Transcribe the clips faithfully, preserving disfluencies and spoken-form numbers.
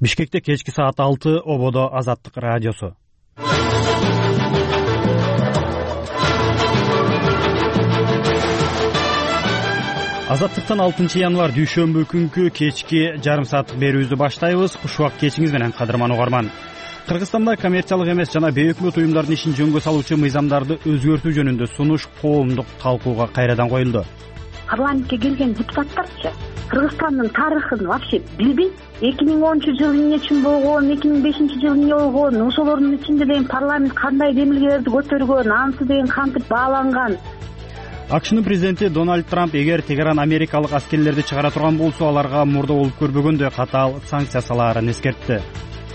Бишкекте кечки саат алты, ободо Азаттык радиосу. Азаттыктан алтынчы январь дүйшөмбү күнкү кечки жарым сааттык берүүбүздү баштайбыз. Куш убак кечиңиз менен кадырман угарман. Кыргызстанда коммерциялык эмес жана бейөкмөт уюмдардын ишин жөнгө салуучу мыйзамдарды өзгөртүү жөнүндө сунуш коомдук талкууга кайрадан коюлду. Парламентке келген депутаттарчы Кыргызстандын тарыхын вообще билбейт. эки миң онунчу жылы эмне үчүн болгон, эки миң бешинчи жылы эмне болгон, ошолордун ичинде деген парламент кандай демилгелерди көтөргөн, анысы деген кантип бааланган. АКШнын президенти Дональд Трамп эгер Тегеран америкалык аскерлерди чыгара турган болсо, аларга мурда болуп көрбөгөндөй катаал санкция салаарын эскертти.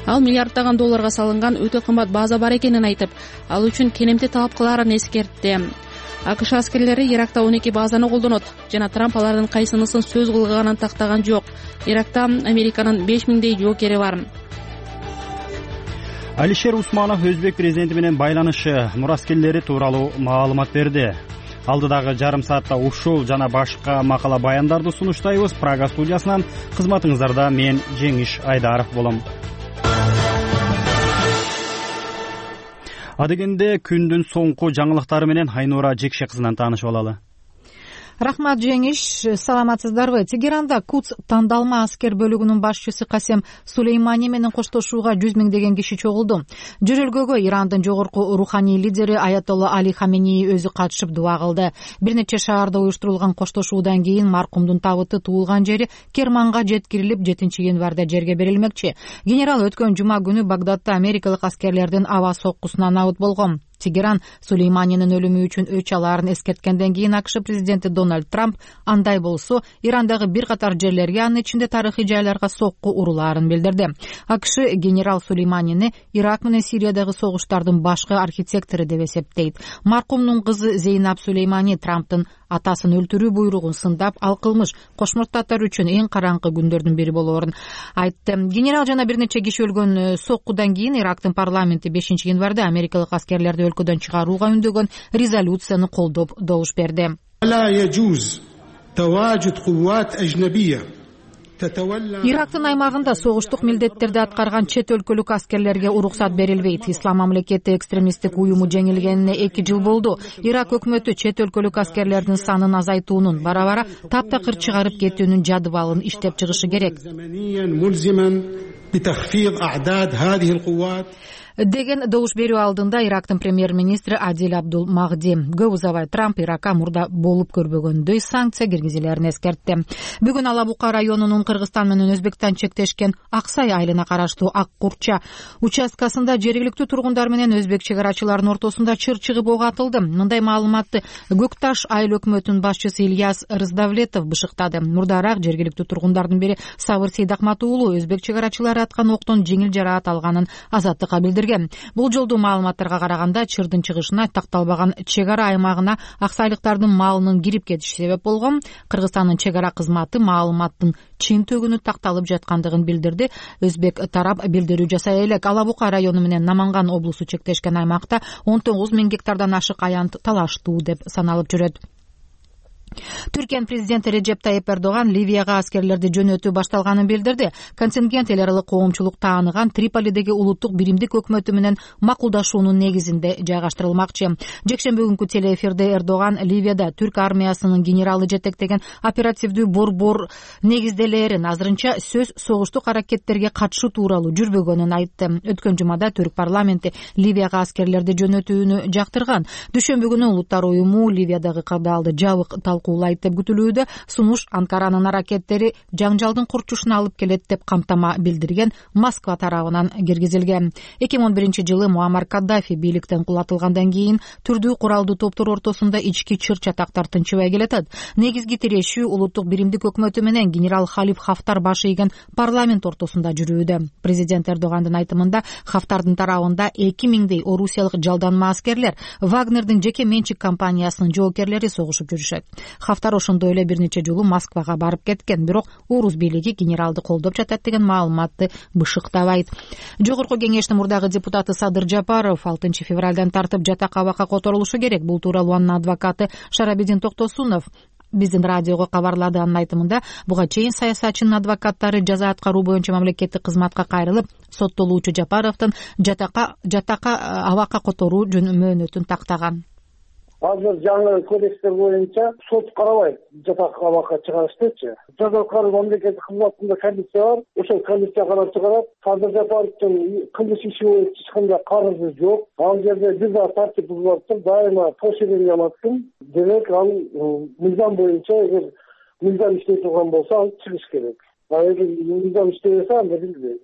Ал миллиарддаган долларга салынган өтө кымбат база бар экенин айтып, ал үчүн кенемти талап кылаарын эскертти. АКШ аскерлери Иракта он эки базаны колдонот жана Трамп алардын кайсынысын сөз кылганын тактаган жок. Иракта Американын беш миңдей жоокери бар. Алишер Усманов өзбек президенти менен байланышы мураскерлери тууралуу маалымат берди. Алдыдагы жарым саатта ушул жана башка макала баяндарды сунуштайбыз. Прага студиясынан кызматыңыздарда мен Жеңиш Айдаров болом. Адегенде күндүн соңку жаңылыктары менен Айнура Жекше кызынан таанышып алалы. Рахмат Жеңиш, саламатсыздарбы? Тегеранда Кудс тандалма аскер бөлүгүнүн башчысы Касем Сулеймани менен коштошууга жүз миңдеген киши чогулду. Жөрөлгөгө Ирандын жогорку руханий лидери Аятолла Али Хамени өзү катышып дуа кылды. Бир нече шаарда уюштурулган коштошуудан кийин маркумдун табыты туулган жери Керманга жеткирилип, жетинчи январда жерге берилмекчи. Генерал өткөн жума күнү Багдадта америкалык аскерлердин аба соккусунан набыт болгон. Тегеран Сулейманинин өлүмү үчүн өч алаарын эскерткенден кийин АКШ президенти Дональд Трамп андай болсо Ирандагы бир катар жерлерге, анын ичинде тарыхый жайларга сокку урулаарын билдирди. АКШ генерал Сулейманини Ирак менен Сириядагы согуштардын башкы архитектору деп эсептейт. Маркумдун кызы Зейнаб Сулеймани Трамптын атасын өлтүрүү буйругун сындап, ал кылмыш кошмурттатар үчүн эң караңкы күндөрдүн бири болоорун айтты. Генерал жана бир нече киши өлгөн соккудан кийин Ирактын парламенти бешинчи январда америкалык аскерлерди өлкөдөн чыгарууга үндөгөн резолюцияны колдоп добуш берди. Ирактын аймагында согуштук милдеттерди аткарган чет өлкөлүк аскерлерге уруксат берилбейт. Ислам мамлекети экстремисттик уюму жеңилгенине эки жыл болду. Ирак өкмөтү чет өлкөлүк аскерлердин санын азайтуунун, бара-бара таптакыр чыгарып кетүүнүн жадыбалын иштеп чыгышы керек деген добуш берүү алдында Ирактын премьер-министри Адил Абдул Магди көп узабай Трамп Иракка мурда болуп көрбөгөндөй санкция киргизилерин эскертти. Бүгүн Ала Бука районунун Кыргызстан менен Өзбекстан чектешкен Аксай айылына караштуу Ак Курча участкасында жергиликтүү тургундар менен өзбек чек арачыларынын ортосунда чыр чыгып ок атылды. Мындай маалыматты Көк Таш айыл өкмөтүнүн башчысы Ильяс Рыздавлетов бышыктады. Мурдараак жергиликтүү тургундардын бири Сабыр Сейдакмат уулу өзбек чек арачылары аткан октон жеңил жараат алганын Азаттыкка билдирди. Бул жолдуу маалыматтарга караганда чырдын чыгышына такталбаган чек ара аймагына аксайлыктардын малынын кирип кетиши себеп болгон. Кыргызстандын чек ара кызматы маалыматтын чын төгүнү такталып жаткандыгын билдирди. Өзбек тарап билдирүү жасай элек. Ала Бука району менен Наманган облусу чектешкен аймакта он тогуз миң гектардан ашык аянт талаштуу деп саналып жүрөт. Түркиянын президенти Режеп Тайип Эрдоган Ливияга аскерлерди жөнөтүү башталганын билдирди. Контингент эл аралык коомчулук тааныган Триполидеги улуттук биримдик өкмөтү менен макулдашуунун негизинде жайгаштырылмакчы. Жекшемби күнкү телеэфирде Эрдоган Ливияда түрк армиясынын генералы жетектеген оперативдүү борбор негизделээрин, азырынча сөз согуштук аракеттерге катышуу тууралуу жүрбөгөнүн айтты. Өткөн жумада түрк парламенти Ливияга аскерлерди жөнөтүүнү жактырган. Дүйшөмбү күнү Улуттар уюму Ливиядагы кабалды жабык талкуулайт деп күтүлүүдө. Сунуш Анкаранын аракеттери жаңжалдын курчушуна алып келет деп камтама билдирген Москва тарабынан киргизилген. эки миң он биринчи жылы Муаммар Каддафи бийликтен кулатылгандан кийин түрдүү куралдуу топтор ортосунда ички чыр чатактар тынчыбай келатат. Негизги тирешүү улуттук биримдик өкмөтү менен генерал Халиф Хафтар башы ийген парламент ортосунда жүрүүдө. Президент Эрдогандын айтымында Хафтардын тарабында эки миңдей орусиялык жалданма аскерлер Вагнердин жеке менчик компаниясынын жоокерлери согушуп жүрүшөт. Хафтар ошондой эле бир нече жолу Москвага барып кеткен, бирок орус бийлиги генералды колдоп жатат деген маалыматты бышыктабайт. Жогорку кеңештин мурдагы депутаты Садыр Жапаров алтынчы февралдан тартып жатак абакка которулушу керек. Бул тууралуу анын адвокаты Шарабидин Токтосунов биздин радиого кабарлады. Анын айтымында буга чейин саясатчынын адвокаттары жаза аткаруу боюнча мамлекеттик кызматка кайрылып, соттолуучу Жапаровдун жатакка жатакка абакка которуу мөөнөтүн тактаган. Азыр жаңы кодекстер боюнча сот карабайт жатакка абакка чыгарыштычы. Жаза аткаруу мамлекеттик кызматында комиссия бар. Ошол комиссия карап чыгарат. Азыр Жапаровдун кылмыш иши боюнча эч кандай карызы жок. Ал жерде бир да тартип бузулуп, дайыма поощрение алат. Демек, ал мыйзам боюнча эгер мыйзам иштей турган болсо, ал чыгыш керек. А эгер мыйзам иштебесе, анда билбейм,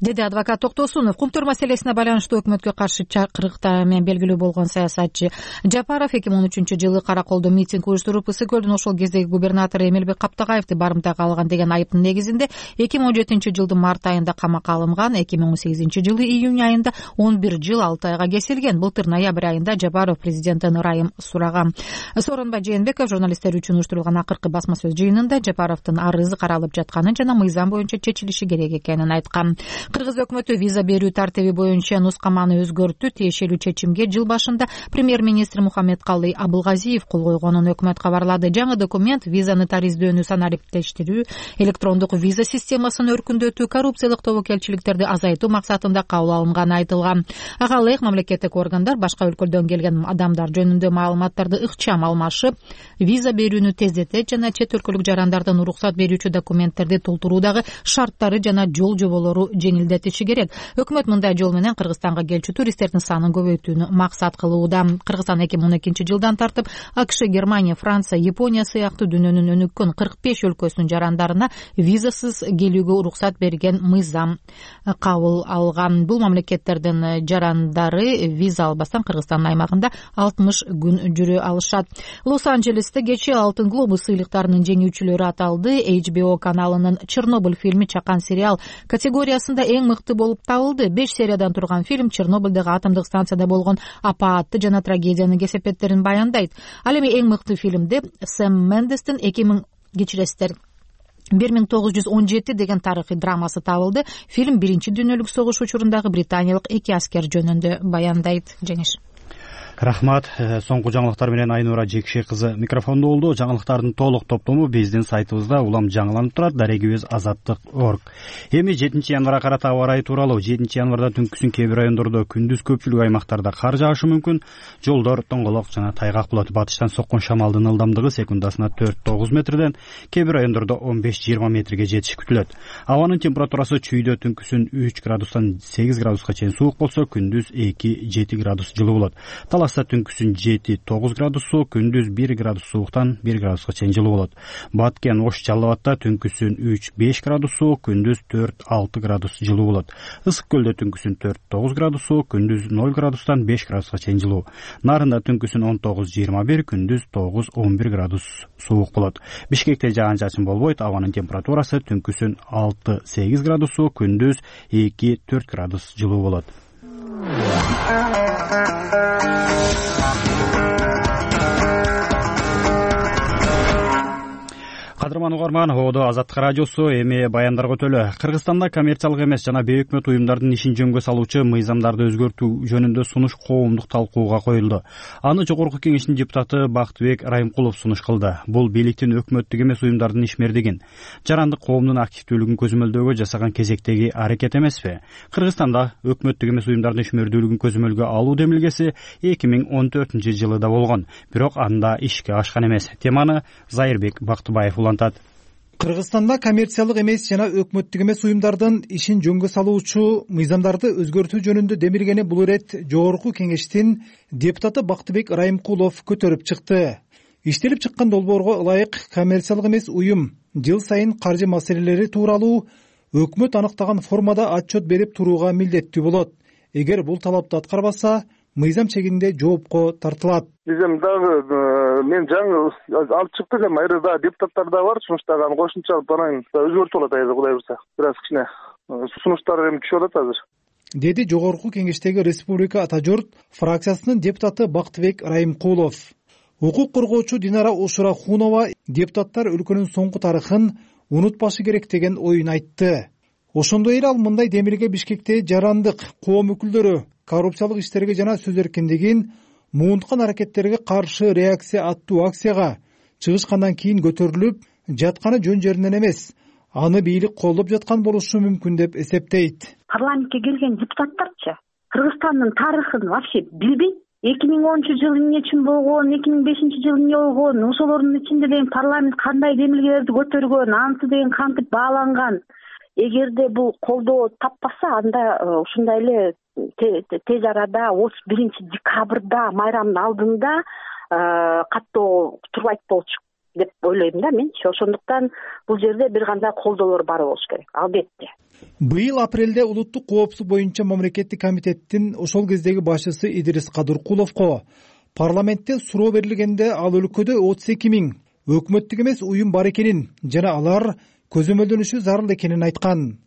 деди адвокат Токтосунов. Кумтөр маселесине байланыштуу өкмөткө каршы чакырыкта менен белгилүү болгон саясатчы Жапаров эки миң он үчүнчү жылы Караколдо митинг уюштуруп, Ысык көлдүн ошол кездеги губернатору Эмилбек Каптагаевди барымтага алган деген айыптын негизинде эки миң он жетинчи жылдын март айында камакка алынган. эки миң он сегизинчи жылы июнь айында он бир жыл алты айга кесилген. Былтыр ноябрь айында Жапаров президенттен ырайым сураган. Сооронбай Жээнбеков журналисттер үчүн уюштурулган акыркы басма сөз жыйынында Жапаровдун арызы каралып жатканын жана мыйзам боюнча чечилиши керек экенин айткан. Кыргыз өкмөтү виза берүү тартиби боюнча нускаманы өзгөрттү. Тиешелүү чечимге жыл башында премьер-министр Мухаммедкалый Абылгазиев кол койгонун өкмөт кабарлады. Жаңы документ виза нотариздөөнү санариптештирүү, электрондук виза системасын өркүндөтүү, коррупциялык тобокелчиликтерди азайтуу максатында кабыл алынганы айтылган. Ага ылайык мамлекеттик органдар башка өлкөлөрдөн келген адамдар жөнүндө маалыматтарды ыкчам алмашып, виза берүүнү тездетет жана чет өлкөлүк жарандардан уруксат берүүчү документтерди толтуруудагы шарттары жана жол жоболору жеңилдетиши керек. Өкмөт мындай жол менен Кыргызстанга келчү туристтердин санын көбөйтүүнү максат кылууда. Кыргызстан эки миң он экинчи жылдан тартып АКШ, Германия, Франция, Япония сыяктуу дүйнөнүн өнүккөн кырк беш өлкөсүнүн жарандарына визасыз келүүгө уруксат берген мыйзам кабыл алган. Бул мамлекеттердин жарандары виза албастан Кыргызстандын аймагында алтымыш күн жүрө алышат. Лос-Анджелесте кечээ Алтын глобус сыйлыктарынын жеңүүчүлөрү аталды. эйч би о каналынын Чернобыль фильми чакан сериал категориясында эң мыкты болуп табылды. беш сериядан турган фильм Чернобыльдагы атомдук станцияда болгон апаатты жана трагедиянын кесепеттерин баяндайт. Ал эми эң мыкты фильмде Сэм Мендестин эки миң кечиресиздер бир миң тогуз жүз он жети деген тарыхый драмасы табылды. Фильм биринчи дүйнөлүк согуш учурундагы британиялык эки аскер жөнүндө баяндайт. Жеңиш. Рахмат. Соңку жаңылыктар менен Айнура Жекши кызы микрофондо болду. Жаңылыктардын толук топтому биздин сайтыбызда улам жаңыланып турат. Дарегибиз азаттык точка орг. Эми жетинчи январга карата аба ырайы тууралуу. жетинчи январда түнкүсүн кээ бир райондордо, күндүз көпчүлүк аймактарда кар жаашы мүмкүн. Жолдор тоңголок жана тайгак болот. Батыштан соккон шамалдын ылдамдыгы секундасына төрт тогуз метрден, кээ бир райондордо он беш жыйырма метрге жетиши күтүлөт. Абанын температурасы чүйдө түнкүсүн үч градустан сегиз градуска чейин суук болсо, күндүз эки жети градус жылуу болот. Таласта түнкүсүн жети тогуз градус суук, күндүз бир градус сууктан бир градуска чейин жылуу болот. Баткен, Ош, Жалал Абадта түнкүсүн үч беш градус суук, күндүз төрт алты градус жылуу болот. Ысык көлдө түнкүсүн төрт тогуз градус суук, күндүз ноль градустан беш градуска чейин жылуу. Нарында түнкүсүн он тогуз жыйырма бир, күндүз тогуз он бир градус суук болот. Бишкекте жаан чачын болбойт. Абанын температурасы түнкүсүн алты сегиз градус суук, күндүз эки төрт градус жылуу болот. Кадырман угарман, Оодо Азаттык радиосу эми баяндарга өтөлү. Кыргызстанда коммерциялык эмес жана бейөкмөт уюмдардын ишин жөнгө салуучу мыйзамдарды өзгөртүү жөнүндө сунуш коомдук талкууга коюлду. Аны Жогорку Кеңештин депутаты Бактыбек Райымкулов сунуш кылды. Бул бийликтин өкмөттүк эмес уюмдардын ишмердигин, жарандык коомдун активдүүлүгүн көзөмөлдөөгө жасаган кезектеги аракет эмеспи? Кыргызстанда өкмөттүк эмес уюмдардын ишмердүүлүгүн көзөмөлгө алуу демилгеси эки миң он төртүнчү жылы да болгон, бирок анда ишке ашкан эмес. Теманы Зайырбек Бактыбаев Кыргызстанда коммерциялык эмес жана өкмөттүк эмес уюмдардын ишин жөнгө салуучу мыйзамдарды өзгөртүү жөнүндө демилгени бул ирет Жогорку Кеңештин депутаты Бактыбек Райымкулов көтөрүп чыкты. Иштелип чыккан долбоорго ылайык коммерциялык эмес уюм жыл сайын каржы маселелери тууралуу өкмөт аныктаган формада отчет берип турууга милдеттүү болот. Эгер бул талапты аткарбаса, мыйзам чегинде жоопко тартылат. Биз эми дагы мен жаңы алып чыктык, эми айры да депутаттар да бар, сунуштаган кошумча алып анан өзгөртүп алат айры Кудай буйрса. Бир аз кичине сунуштар эми түшүп атат азыр, деди Жогорку Кеңештеги Республика Ата журт фракциясынын депутаты Бактыбек Райымкулов. Укук коргоочу Динара Ушурахунова депутаттар өлкөнүн соңку тарыхын унутпашы керек деген оюн айтты. Ошондой эле ал мындай демилге Бишкекте жарандык коом өкүлдөрү коррупциялык иштерге жана сөз эркиндигин муунткан аракеттерге каршы реакция аттуу акцияга чыгышкандан кийин көтөрүлүп жатканы жөн жеринен эмес, аны бийлик колдоп жаткан болушу мүмкүн деп эсептейт. Парламентке келген депутаттарчы Кыргызстандын тарыхын вообще билбейт. эки миң онунчу жылы эмне үчүн болгон, эки миң бешинчи жылы эмне болгон, ошолордун ичинде деген парламент кандай демилгелерди көтөргөн, анысы деген кантип бааланган. Эгерде бул колдоо таппаса, анда ушундай эле тез арада отуз биринчи декабрда майрамдын алдында каттоо турбайт болчу деп ойлойм да менчи. Ошондуктан бул жерде бир кандай колдоолор бар болуш керек, албетте. Быйыл апрелде улуттук коопсуздук боюнча мамлекеттик комитеттин ошол кездеги башчысы Идирис Кадыркуловго парламентте суроо берилгенде ал өлкөдө отуз эки миң өкмөттүк эмес уюм бар экенин жана алар көзөмөлдөнүшү зарыл экенин айткан.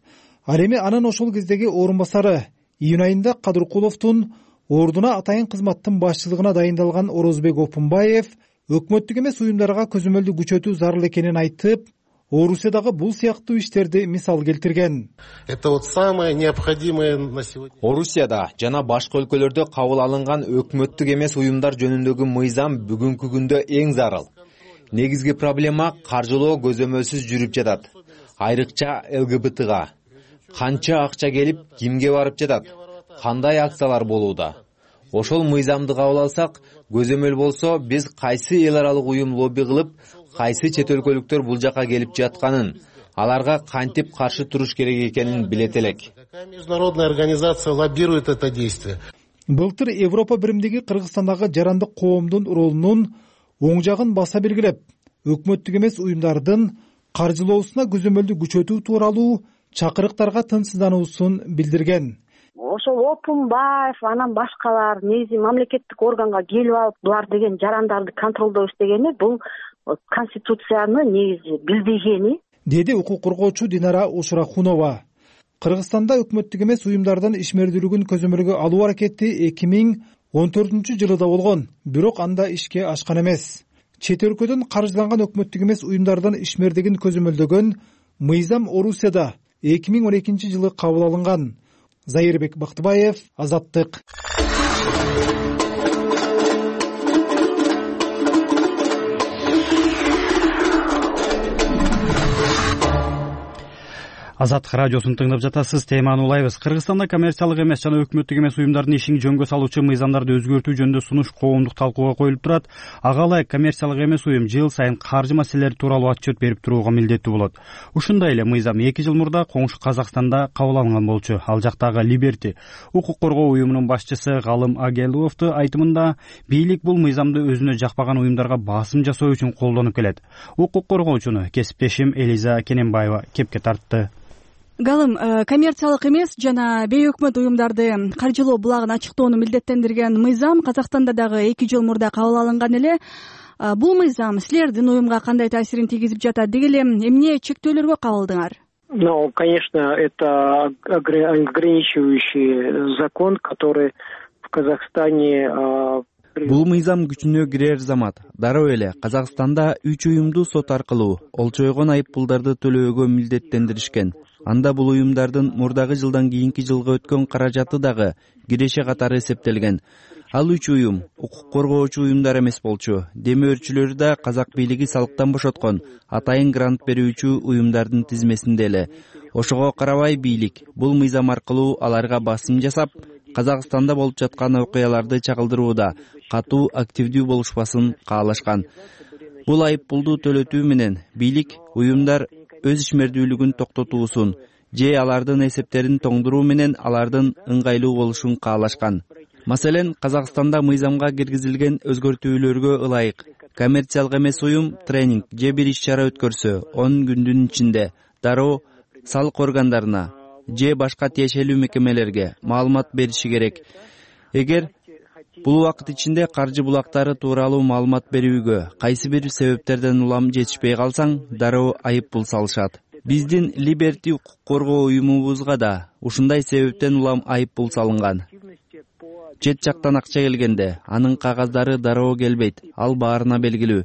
Ал эми анын ошол кездеги орун басары июнь айында Кадыркуловдун ордуна атайын кызматтын башчылыгына дайындалган Орозбек Опунбаев өкмөттүк эмес уюмдарга көзөмөлдү күчөтүү зарыл экенин айтып, Орусиядагы бул сыяктуу иштерди мисал келтирген. Это вот самое необходимое на сегодня. Орусияда жана башка өлкөлөрдө кабыл алынган өкмөттүк эмес уюмдар жөнүндөгү мыйзам бүгүнкү күндө эң зарыл. Негизги проблема каржылоо көзөмөлсүз жүрүп жатат. Айрыкча эл гэ бэ тэга канча акча келип, кимге барып жатат, кандай акциялар болууда. Ошол мыйзамды кабыл алсак, көзөмөл болсо, биз кайсы эл аралык уюм лобби кылып, кайсы чет өлкөлүктөр бул жака келип жатканын, аларга кантип каршы туруш керек экенин билет элек. Какая международная организация лоббирует это действие? Былтыр Европа биримдиги Кыргызстандагы жарандык коомдун ролунун оң жагын баса белгилеп, өкмөттүк эмес уюмдардын каржылоосуна көзөмөлдү күчөтүү тууралуу чакырыктарга тынчсыздануусун билдирген. Ошол Опунбаев, анан башкалар негизи мамлекеттик органга келип алып, булар деген жарандарды контролдоо istегени бул конституцияны негизи билбегени, деди укук коргоочу Динара Ушурахунова. Кыргызстанда өкмөттүк эмес уюмдардын ишмердүүлүгүн көзөмөлгө алуу аракети эки миң он төртүнчү жылы да болгон, бирок анда ишке ашкан эмес. Чет өлкөдөн каржыланган өкмөттүк эмес уюмдардын ишмердигин көзөмөлдөгөн мыйзам Орусияда эки миң он экинчи жылы кабыл алынган. Зайырбек Бактыбаев, Азаттык. Азаттык радиосун тыңдап жатасыз. Теманы улайбыз. Кыргызстанда коммерциялык эмес жана өкмөттүк эмес уюмдардын ишин жөнгө салуучу мыйзамдарды өзгөртүү жөнүндө сунуш коомдук талкууга коюлуп турат. Ага ылайык коммерциялык эмес уюм жыл сайын каржы маселелери тууралуу отчет берип турууга милдеттүү болот. Ушундай эле мыйзам эки жыл мурда коңшу Казакстанда кабыл алынган болчу. Ал жактагы Либерти укук коргоо уюмунун башчысы Галым Агеловду айтымында, бийлик бул мыйзамды өзүнө жакпаган уюмдарга басым жасоо үчүн колдонуп келет. Укук коргоочуну кесиптешим Элиза Кененбаева кепке тартты. Галым, коммерциялык эмес жана бейөкмөт уюмдарды каржылоо булагын ачыктоону милдеттендирген мыйзам Казакстанда дагы эки жыл мурда кабыл алынган эле. Бул мыйзам силердин уюмга кандай таасирин тийгизип жатат? Деги эле эмне чектөөлөргө кабылдыңар? Ну, конечно, это ограничивающий закон, который в Казахстане. Бул мыйзам күчүнө кирер замат. Дароо эле Казакстанда үч уюмду сот аркылуу олчойгон айыппулдарды төлөөгө милдеттендиришкен. Анда бул уюмдардын мурдагы жылдан кийинки жылга өткөн каражаты дагы киреше катары эсептелген. Ал үч уюм укук коргоочу уюмдар эмес болчу. Демөөрчүлөрү да казак бийлиги салыктан бошоткон атайын грант берүүчү уюмдардын тизмесинде эле. Ошого карабай бийлик бул мыйзам аркылуу аларга басым жасап, Казакстанда болуп жаткан окуяларды чагылдырууда катуу активдүү болушпасын каалашкан. Бул айыппулду төлөтүү менен бийлик уюмдар өз ишмердүүлүгүн токтотуусун же алардын эсептерин тоңдуруу менен алардын ыңгайлуу болушун каалашкан. Маселен, Казакстанда мыйзамга киргизилген өзгөртүүлөргө ылайык коммерциялык эмес уюм тренинг же бир иш-чара өткөрсө, он күндүн ичинде дароо салык органдарына же башка тиешелүү мекемелерге маалымат бериши керек. Эгер бул убакыт ичинде каржы булактары тууралуу маалымат берүүгө кайсы бир себептерден улам жетишпей калсаң, дароо айыппул салышат. Биздин Либерти укук коргоо уюмубузга да ушундай себептен улам айыппул салынган. Чет жактан акча келгенде анын кагаздары дароо келбейт, ал баарына белгилүү.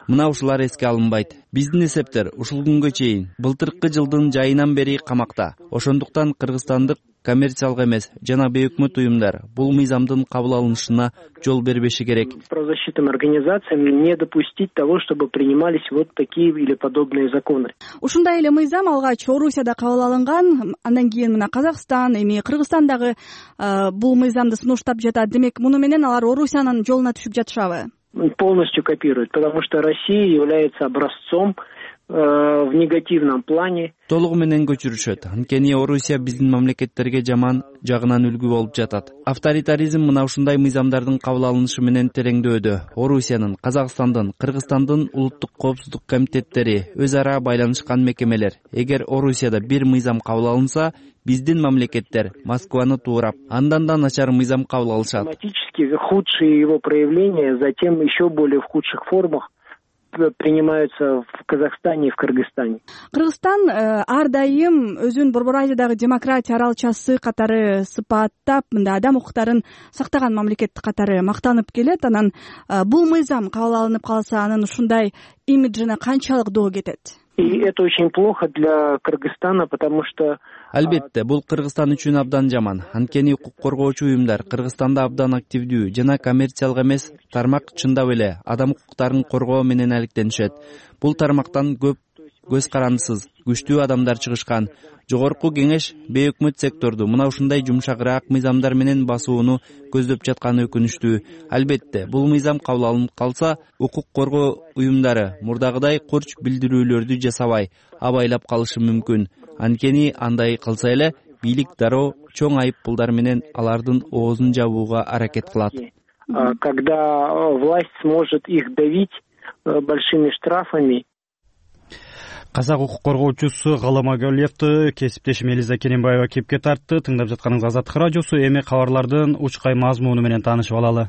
Мына ушулар эске алынбайт. Биздин эсептер ушул күнгө чейин былтыркы жылдын жайынан бери камакта. Ошондуктан кыргызстандык коммерциялык эмес жана бейөкмөт уюмдар бул мыйзамдын кабыл алынышына жол бербеши керек. Правозащитным организациям не допустить того, чтобы принимались вот такие или подобные законы. Ушундай эле мыйзам алгач Орусияда кабыл алынган, андан кийин мына Казакстан, эми Кыргызстан дагы бул мыйзамды сунуштап жатат. Демек, муну менен алар Орусиянын жолуна түшүп жатышабы? Полностью копируют, потому что Россия является образцом в негативном плане. Толугу менен көчүрүшөт. Анткени Орусия биздин мамлекеттерге жаман жагынан үлгү болуп жатат. Авторитаризм мына ушундай мыйзамдардын кабыл алынышы менен тереңдөөдө. Орусиянын, Казакстандын, Кыргызстандын улуттук коопсуздук комитеттери өз ара байланышкан мекемелер. Эгер Орусияда бир мыйзам кабыл алынса, биздин мамлекеттер Москваны туурап, андан да начар мыйзам кабыл алышат. Автоматически худшие его проявления затем еще более в худших формах принимаются в Казахстане и в Кыргызстане. Кыргызстан ар дайым өзүн Борбор Азиядагы демократия аралчасы катары сыпаттап, мында адам укуктарын сактаган мамлекет катары мактанып келет. Анан бул мыйзам кабыл алынып калса, анын ушундай имиджине канчалык доо кетет? И это очень плохо для Кыргызстана, потому что Албетте, бул Кыргызстан үчүн абдан жаман. Анткени укук коргоочу уюмдар Кыргызстанда абдан активдүү жана коммерциялык эмес тармак чындап эле адам укуктарын коргоо менен алектенишет. Бул тармактан көп көз карандысыз, күчтүү адамдар чыгышкан. Жогорку кеңеш бейөкмөт секторду мына ушундай жумшагыраак мыйзамдар менен басууну көздөп жатканы өкүнүчтүү. Албетте, бул мыйзам кабыл алынып калса, укук коргоо уюмдары мурдагыдай курч билдирүүлөрдү жасабай, абайлап калышы мүмкүн. Анткени андай кылса эле бийлик дароо чоң айып пулдар менен алардын оозун жабууга аракет кылат. Когда власть сможет их давить большими штрафами. Казак укук коргоочусу Галам Агалиевди кесиптешим Элиза Керимбаева кепке тартты. Тыңдап жатканыңыз Азаттык радиосу. Эми кабарлардын учкай мазмуну менен таанышып алалы.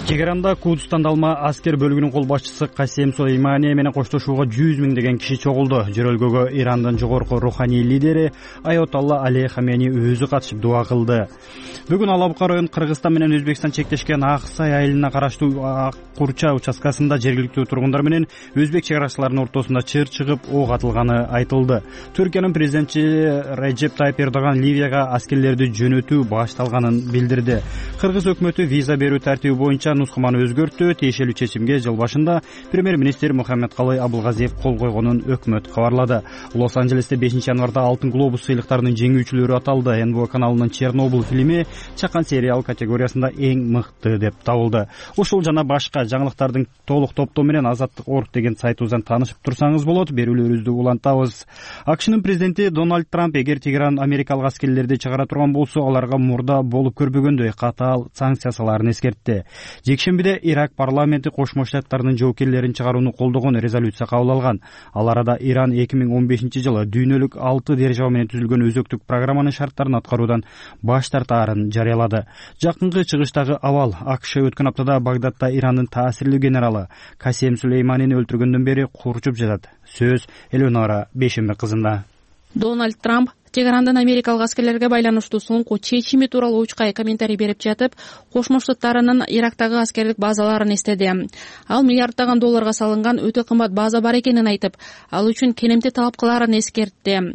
Тегеранда Кудустанда алма аскер бөлүгүнүн кол башчысы Касем Сулеймани менен коштошууга жүз миңдеген киши чогулду. Жөрөлгөгө Ирандын жогорку руханий лидери Аятолла Али Хамени өзү катышып дуа кылды. Бүгүн Алабука район Кыргызстан менен Өзбекстан чектешкен Аксай айылына караштуу Аккурча участкасында жергиликтүү тургундар менен өзбек чек арачыларынын ортосунда чыр чыгып ок атылганы айтылды. Түркиянын президенти Реджеп Тайип Эрдоган Ливияга аскерлерди жөнөтүү башталганын билдирди. Кыргыз өкмөтү виза берүү тартиби боюнча нускаманы өзгөрттү. Тиешелүү чечимге жыл башында премьер-министр Мухаммедкалый Абылгазиев кол койгонун өкмөт кабарлады. Лос-Анджелесте бешинчи январда Алтын глобус сыйлыктарынын жеңүүчүлөрү аталды. эн бэ о каналынын Чернобыль фильми чакан сериал категориясында эң мыкты деп табылды. Ушул жана башка жаңылыктардын толук топтоо менен азаттык точка орг деген сайтыбыздан таанышып турсаңыз болот. Берүүлөрүбүздү улантабыз. АКШнын президенти Дональд Трамп эгер Тегеран америкалык аскерлерди чыгара турган болсо, аларга мурда болуп көрбөгөндөй катаал санкция салаарын эскертти. Жекшембиде Ирак парламенти Кошмо Штаттардын жоокерлерин чыгарууну колдогон резолюция кабыл алган. Ал арада Иран эки миң он бешинчи жылы дүйнөлүк алты держава менен түзүлгөн өзөктүк программанын шарттарын аткаруудан баш тартаарын жарыялады. Жакынкы чыгыштагы абал АКШ өткөн аптада Багдадда Ирандын таасирлүү генералы Касем Сулейманини өлтүргөндөн бери курчуп жатат. Сөз Элеонора Бейшембек кызында. Дональд Трамп Тегерандын америкалык аскерлерге байланыштуу соңку чечими тууралуу учкай комментарий берип жатып, Кошмо Штаттарынын Ирактагы аскердик базаларын эстеди. Ал миллиарддаган долларга салынган өтө кымбат база бар экенин айтып, ал үчүн келемти талап кылаарын эскертти.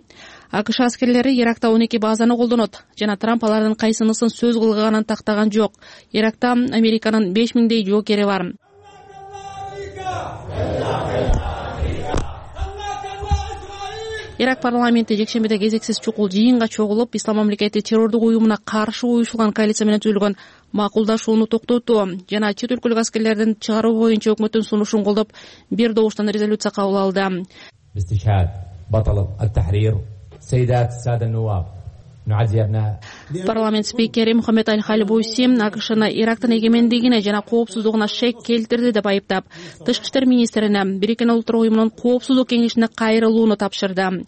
АКШ аскерлери Иракта он эки базаны колдонот жана Трамп алардын кайсынысын сөз кылганын тактаган жок. Иракта Американын беш миңдей жоокери бар. Ирак парламенти жекшембиде кезексиз чукул жыйынга чогулуп, Ислам мамлекети террордук уюмуна каршы уюшулган коалиция менен түзүлгөн макулдашууну токтотуу жана чет өлкөлүк аскерлердин чыгаруу боюнча өкмөттүн сунушун колдоп, бир добуштан резолюция кабыл алды. Парламент спикери Мухаммед Аль-Халибуси АКШны Ирактын эгемендигине жана коопсуздугуна шек келтирди деп айыптап, тышкы иштер министрине Бириккен Улуттар уюмунун коопсуздук кеңешине кайрылууну тапшырды.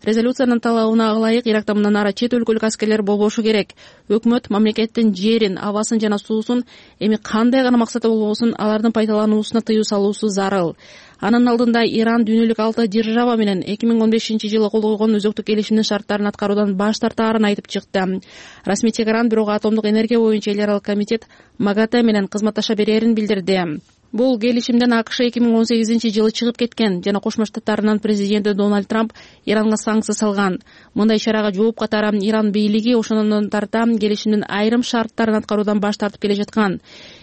Резолюциянын талабына ылайык Иракта мындан ары чет өлкөлүк аскерлер болбошу керек. Өкмөт мамлекеттин жерин, абасын жана суусун эми кандай гана максаты болбосун алардын пайдалануусуна тыюу салуусу зарыл. Анын алдында Иран дүйнөлүк алты держава менен эки миң он бешинчи жылы кол койгон өзөктүк келишимдин шарттарын аткаруудан баш тартаарын айтып чыкты. Расмий Тегеран бирок атомдук энергия боюнча эл аралык комитет МАГАТЭ менен кызматташа берерин билдирди. Бул келишимден АКШ эки миң он сегизинчи жылы чыгып кеткен жана Кошмо Штаттарынын президенти Дональд Трамп Иранга санкция салган. Мындай ишарага жооп катары Иран бийлиги ошондон тарта келишимдин айрым шарттарын аткаруудан баш тартып келе жаткан.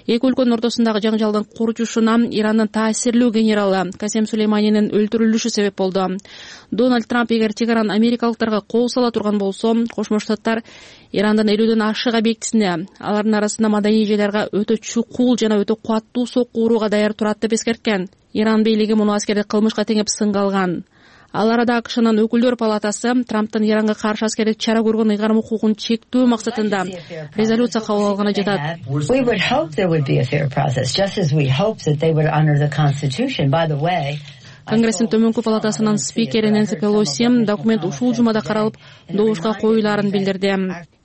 Эки өлкөнүн ортосундагы жаңжалдын курчушуна Ирандын таасирлүү генералы Касем Сулейманинин өлтүрүлүшү себеп болду. Дональд Трамп эгер чек араны америкалыктарга кол сала турган болсо, Кошмо Штаттар Ирандын элүүдөн ашык объектисине, алардын арасында маданий эжелерге өтө чукул жана өтө кубаттуу сокку урууга даяр турат деп эскерткен. Иран бийлиги муну аскердик кылмышка теңеп сынга алган. Ал арада АКШнын өкүлдөр палатасы Трамптын Иранга каршы аскердик чара көргөн ыйгарым укугун чектөө максатында резолюция кабыл алганы жатат. Конгресстин төмөнкү палатасынын спикери Нэнси Пелоси документ ушул жумада каралып, добушка коюлаарын билдирди.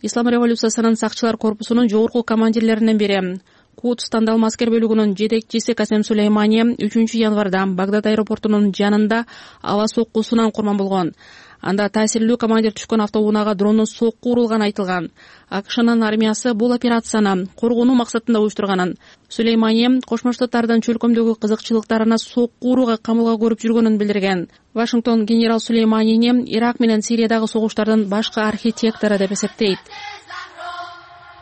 Ислам революциясынын сакчылар корпусунун жогорку командирлеринен бири Кудс тандалма аскер бөлүгүнүн жетекчиси Касем Сулеймани үчүнчү январда Багдад аэропортунун жанында аба соккусунан курман болгон. Анда таасирлүү командир түшкөн автоунаага дрондун сокку урулганы айтылган. АКШнын армиясы бул операцияны коргонуу максатында уюштурганын, Сулеймани Кошмо Штаттардын чөлкөмдөгү кызыкчылыктарына сокку урууга камылга көрүп жүргөнүн билдирген. Вашингтон генерал Сулейманини Ирак менен Сириядагы согуштардын башкы архитектору деп эсептейт.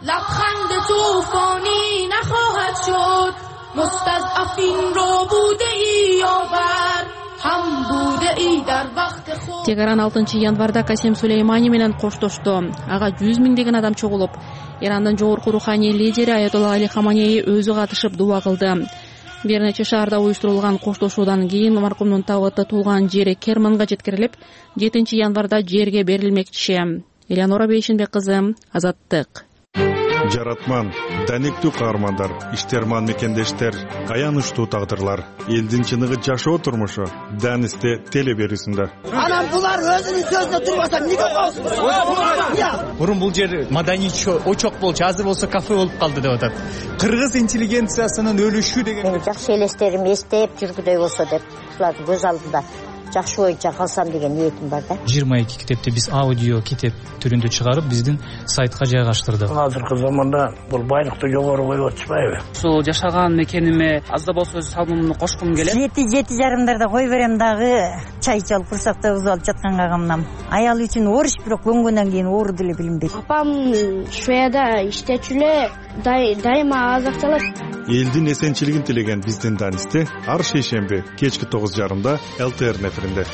لبخند توفانی نخواهد شد مستضعفین رو بوده ای یاور هم بوده ای در وقت خود. Тегеран алтынчы январда Касем Сулеймани менен коштошту. Ага жүз миңдеген адам чогулуп, Ирандын жогорку руханий лидери Аятолла Али Хаманеи өзү катышып дуа кылды. Бир нече шаарда уюштурулган коштошуудан кийин маркумдун табыты туулган жери Керманга жеткирилип, жетинчи январда жерге берилмекчи. Элеонора Бейшенбек кызы, Азаттык. Жаратман, даниктүү каармандар, иштерман мекендештер, аянычтуу тагдырлар, элдин чыныгы жашоо турмушу Данисте телеберүүсүндө. Анан булар өзүнүн сөзүнө турбаса эмнеге коюшат? Мурун бул жер маданий очок болчу, азыр болсо кафе болуп калды деп атат. Кыргыз интеллигенциясынын өлүшү деген жакшы элестерим эстеп жүргүдөй болсо деп булардын көз алдында жакшы боюнча калсам деген ниетим бар да. жыйырма эки китепти биз аудио китеп түрүндө чыгарып биздин сайтка жайгаштырдык. Азыркы заманда бул байлыкты жогору коюп атышпайбы? Ушул жашаган мекениме аз да болсо салымымды кошкум келет. Жети жети жарымдарда кой берем дагы, чай ичип курсакта уз алып жатканга камнам. Аял үчүн ооруш, бирок көнгөндөн кийин оору деле билинбейт. Апам Шведияда иштечү эле дайыма азыкталат. Элдин эсенчилигин тилеген биздин Данисте ар шейшемби кечки тогуз жарымда эл тэ эр неферинде.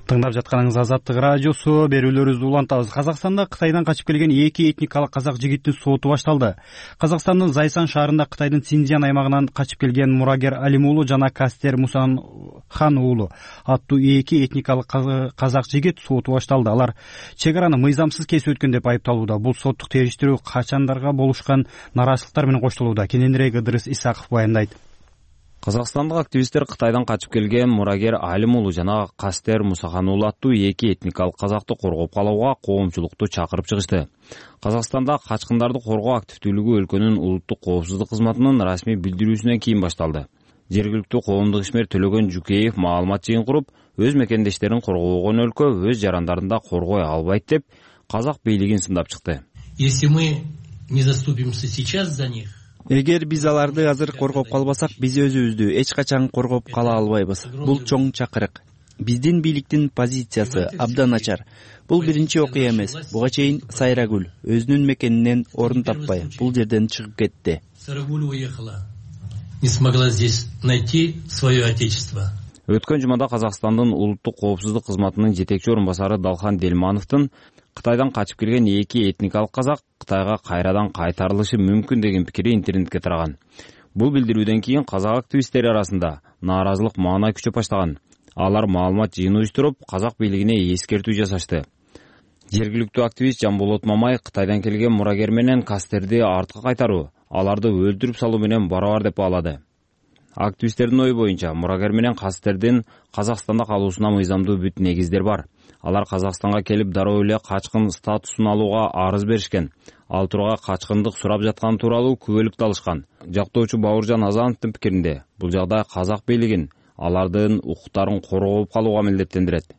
Тыңдап жатканыңыз Азаттык радиосу, берүүлөрүбүздү улантабыз. Казакстанда Кытайдан качып келген эки этникалык казак жигиттин соту башталды. Казакстандын Зайсан шаарында Кытайдын Синьцзян аймагынан качып келген Мурагер Алим уулу жана Кастер Мусахан уулу аттуу эки этникалык казак жигит соту башталды. Алар чек араны мыйзамсыз кесип өткөн деп айыпталууда. Бул соттук териштирүү качандарга болушкан нараазычылыктар менен коштолууда. Кененирээк Ыдырыс Исаков баяндайт. Казакстандык активисттер Кытайдан качып келген Мурагер Алим уулу жана Кастер Мусахан уулу аттуу эки этникалык казакты коргоп калууга коомчулукту чакырып чыгышты. Казакстанда качкындарды коргоо активдүүлүгү өлкөнүн улуттук коопсуздук кызматынын расмий билдирүүсүнөн кийин башталды. Жергиликтүү коомдук ишмер Төлөгөн Жукеев маалымат жыйын куруп, өз мекендештерин коргобогон өлкө өз жарандарын коргой албайт деп казак бийлигин сындап чыкты. Если мы не заступимся сейчас за них, эгер биз аларды азыр коргоп калбасак, биз өзүбүздү эч качан коргоп кала албайбыз. Бул чоң чакырык. Биздин бийликтин позициясы абдан начар. Бул биринчи окуя эмес. Буга чейин Сайрагүл өзүнүн мекенинен орун таппай бул жерден чыгып кетти. Сайрагүл уехала. Не смогла здесь найти свое отечество. Өткөн жумада Казакстандын улуттук коопсуздук кызматынын жетекчи орун басары Далхан Делмановдун Кытайдан качып келген эки этникалык казак Кытайга кайрадан кайтарылышы мүмкүн деген пикири интернетке тараган. Бул билдирүүдөн кийин казак активисттери арасында нааразылык маанай күчөп баштаган. Алар маалымат жыйын уюштуруп, казак бийлигине эскертүү жасашты. Жергиликтүү активист Жамболот Мамай Кытайдан келген Мурагер менен Кастерди артка кайтаруу, аларды өлтүрүп салуу менен барабар деп баалады. Активисттердин ою боюнча Мурагер менен Кастердин Казакстанда калуусуна мыйзамдуу бүт негиздер бар. Алар Казакстанга келип дароо эле качкын статусун алууга арыз беришкен. Ал турга качкындык сурап жаткан тууралуу күбөлүктү алышкан. Жактоочу Бауыржан Азановдун пикиринде, бул жагдай казак бийлигин алардын укуктарын коргоп калууга милдеттендирет.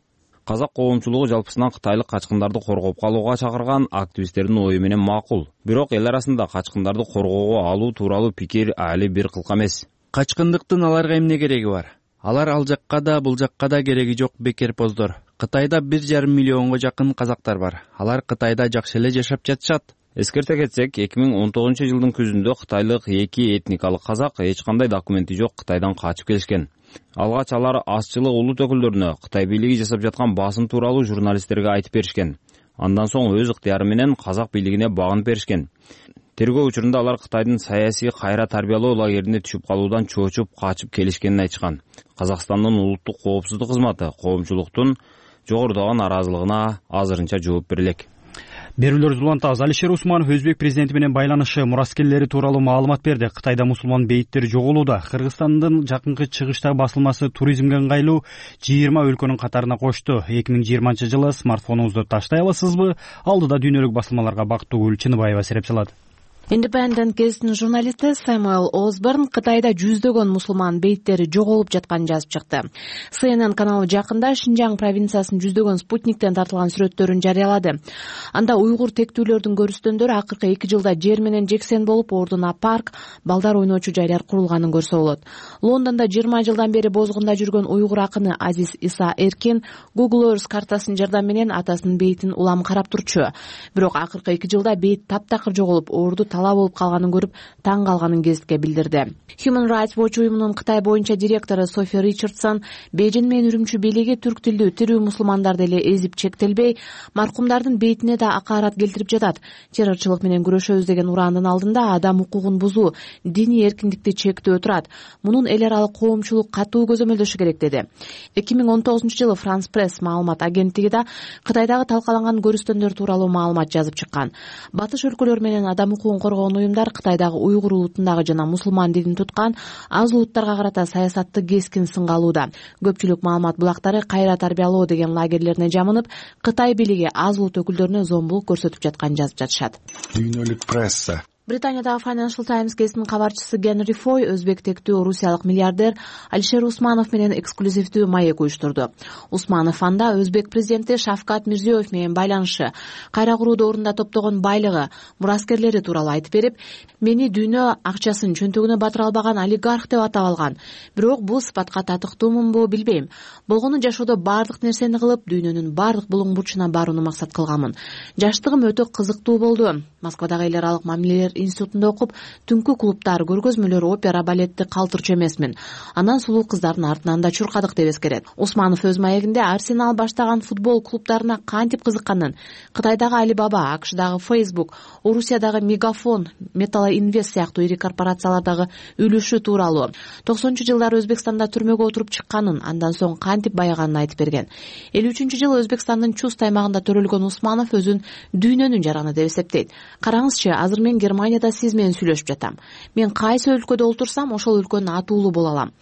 казак коомчулугу жалпысынан кытайлык качкындарды коргоп калууга чакырган активисттердин ою менен макул. Бирок эл арасында качкындарды коргоого алуу тууралуу пикир али бир кылка эмес. Качкындыктын аларга эмне кереги бар? Алар ал жакка да бул жакка да кереги жок бекерпоздор. Кытайда бир жарым миллионго жакын казактар бар. Алар Кытайда жакшы эле жашап жатышат. Эскерте кетсек, эки миң он тогузунчу жылдын күзүндө кытайлык эки этникалык казак эч кандай документи жок Кытайдан качып келишкен. Алгач алар азчылык улут өкүлдөрүнө Кытай бийлиги жасап жаткан басым тууралуу журналисттерге айтып беришкен. Андан соң өз ыктыяры менен казак бийлигине багынып беришкен. Тергөө учурунда алар Кытайдын саясий кайра тарбиялоо лагерине түшүп калуудан чоочуп качып келишкенин айтышкан. Казакстандын улуттук коопсуздук кызматы коомчулуктун жогорудагы нааразылыгына азырынча жооп бере элек. Берүүлөр улантабыз. Алишер Усманов Өзбек президенти менен байланышы мураскерлери тууралуу маалымат берди. Кытайда мусулман бейиттер жоголууда. Кыргызстандын жакынкы чыгыштагы басылмасы туризмге ыңгайлуу жыйырма өлкөнүн катарына кошту. эки миң жыйырманчы жылы смартфонуңузду таштай аласызбы? Алдыда дүйнөлүк басылмаларга Бактыгүл Чыныбаева сереп салат. Independent газетинин журналисти Сэмюэл Осборн Кытайда жүздөгөн мусулман бейиттери жоголуп жатканын жазып чыкты. Си Эн Эн каналы жакында Шинжаң провинциясынын жүздөгөн спутниктен тартылган сүрөттөрүн жарыялады. Анда уйгур тектүүлөрдүн көрүстөндөрү акыркы эки жылда жер менен жексен болуп, ордуна парк, балдар ойночу жайлар курулганын көрсө болот. Лондондо жыйырма жылдан бери бозгунда жүргөн уйгур акыны Азиз Иса Эркин Google Earth картасынын жардамы менен атасынын бейитин улам карап турчу. Бирок акыркы эки жылда бейит таптакыр жоголуп, орду талаа болуп калганын көрүп, таң калганын гезитке билдирди. Human Rights Watch уюмунун Кытай боюнча директору Софи Ричардсон Бейжин менен Үрүмчү бийлиги түрк тилдүү тирүү мусулмандарды эле эзип чектелбей, маркумдардын бейитине да акаарат келтирип жатат. Террорчулук менен күрөшөбүз деген урандын алдында адам укугун бузуу, диний эркиндикти чектөө турат. Мунун эл аралык коомчулук катуу көзөмөлдөшү керек деди. эки миң он тогузунчу жылы France Press маалымат агенттиги да Кытайдагы талкаланган көрүстөндөр тууралуу маалымат жазып чыккан. Батыш өлкөлөр менен адам укугун коргогон уюмдар Кытайдагы уйгур улутундагы жана мусулман динин туткан аз улуттарга карата саясатты кескин сынга алууда. Көпчүлүк маалымат булактары кайра тарбиялоо деген лагерлерине жамынып, Кытай бийлиги аз улут өкүлдөрүнө зомбулук көрсөтүп жатканын жазып жатышат. Дүйнөлүк пресса Британиядагы Financial Times газетинин кабарчысы Генри Фой өзбек тектүү орусиялык миллиардер Алишер Усманов менен эксклюзивдүү маек уюштурду. Усманов анда өзбек президенти Шавкат Мирзиёев менен байланышы, кайра куруу ордунда топтогон байлыгы, мураскерлери тууралуу айтып берип, мени дүйнө акчасын чөнтөгүнө батыра албаган олигарх деп атап алган. Бирок бул сыпатка татыктуумунбу билбейм. Болгону жашоодо баардык нерсени кылып, дүйнөнүн баардык булуң бурчуна барууну максат кылганмын. Жаштыгым өтө кызыктуу болду. Москвадагы эл аралык мамилелер институтунда окуп, түнкү клубтар, көргөзмөлөр, опера, балетти калтырчу эмесмин. Анан сулуу кыздардын артынан да чуркадык деп эскерет. Усманов өз маегинде Арсенал баштаган футбол клубтарына кантип кызыкканын, Кытайдагы Alibaba, АКШдагы Facebook, Орусиядагы Мегафон, Металл Инвест сыяктуу ири корпорациялардагы үлүшү тууралуу, токсонунчу жылдары Өзбекстанда түрмөгө отуруп чыкканын, андан соң кантип байыганын айтып берген. элүү үчүнчү жылы Өзбекстандын Чуст аймагында төрөлгөн Усманов өзүн дүйнөнүн жараны деп эсептейт. Караңызчы, азыр мен Германияда сиз менен сүйлөшүп жатам. Мен кайсы өлкөдө олтурсам, ошол өлкөнүн атуулу боло алам.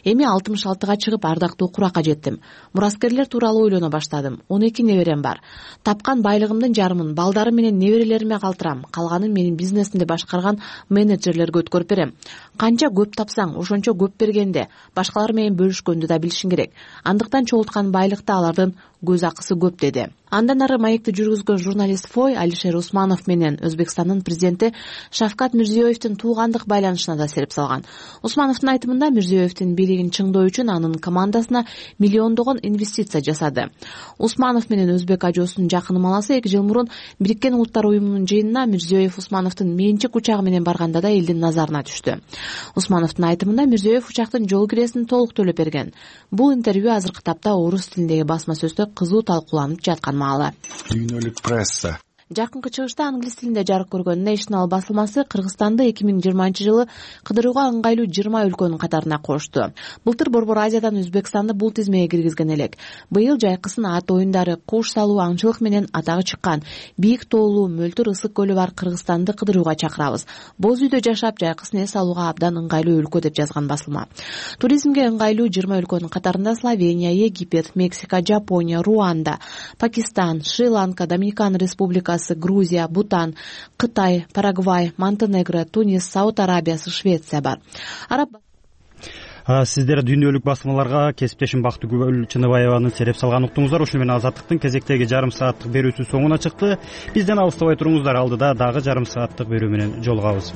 Эми алтымыш алтыга чыгып ардактуу куракка жеттим. Мураскерлер тууралуу ойлоно баштадым. он эки неберем бар. Тапкан байлыгымдын жарымын балдарым менен неберелериме калтырам. Калганын менин бизнесимди башкарган менеджерлерге өткөрүп берем. Канча көп тапсаң, ошончо көп бергенде, башкалар менен бөлүшкөндү да билишиң керек. Андыктан чогулткан байлыкта алардын көз акысы көп деди. Андан ары маекти жүргүзгөн журналист Фой Алишер Усманов менен Өзбекстандын президенти Шавкат Мирзиёевдин туугандык байланышына да сереп салган. Усмановдун айтымында Мирзиёевдин бийлигин чыңдоо үчүн анын командасына миллиондогон инвестиция жасады. Усманов менен өзбек ажоосунун жакын маласы эки жыл мурун Бириккен Улуттар уюмунун жыйынына Мирзиёев Усмановдун менчик учагы менен барганда да элдин назарына түштү. Усмановдун айтымында Мирзиёев учактын жол киресин толук төлөп берген. Бул интервью азыркы тапта орус тилиндеги басма сөздө кызуу талкууланып жаткан маалы. Дүйнөлүк пресса Жакынкы чыгышта англис тилинде жарык көргөн National басылмасы Кыргызстанды эки миң жыйырманчы жылы кыдырууга ыңгайлуу жыйырма өлкөнүн катарына кошту. Былтыр Борбор Азиядан Өзбекстанды бул тизмеге киргизген элек. Быйыл жайкысын ат оюндары, куш салуу, аңчылык менен атагы чыккан бийик тоолуу, мөлтүр ысык көлү бар Кыргызстанды кыдырууга чакырабыз. Боз үйдө жашап, жайкысын эс алууга абдан ыңгайлуу өлкө деп жазган басылма. Туризмге ыңгайлуу жыйырма өлкөнүн катарында Словения, Египет, Мексика, Жапония, Руанда, Пакистан, Шри-Ланка, Доминикан Республикасы, Грузия, Бутан, Кытай, Парагвай, Монтенегро, Тунис, Сауд Арабиясы, Швеция бар. Араб сиздер дүйнөлүк басмаларга кесиптешим Бактыгүл Чыныбаеваны сереп салган уктуңуздар. Ушуну менен Азаттыктын кезектеги жарым сааттык берүүсү соңуна чыкты. Бизден алыстабай туруңуздар, алдыда дагы жарым сааттык берүү менен жолугабыз.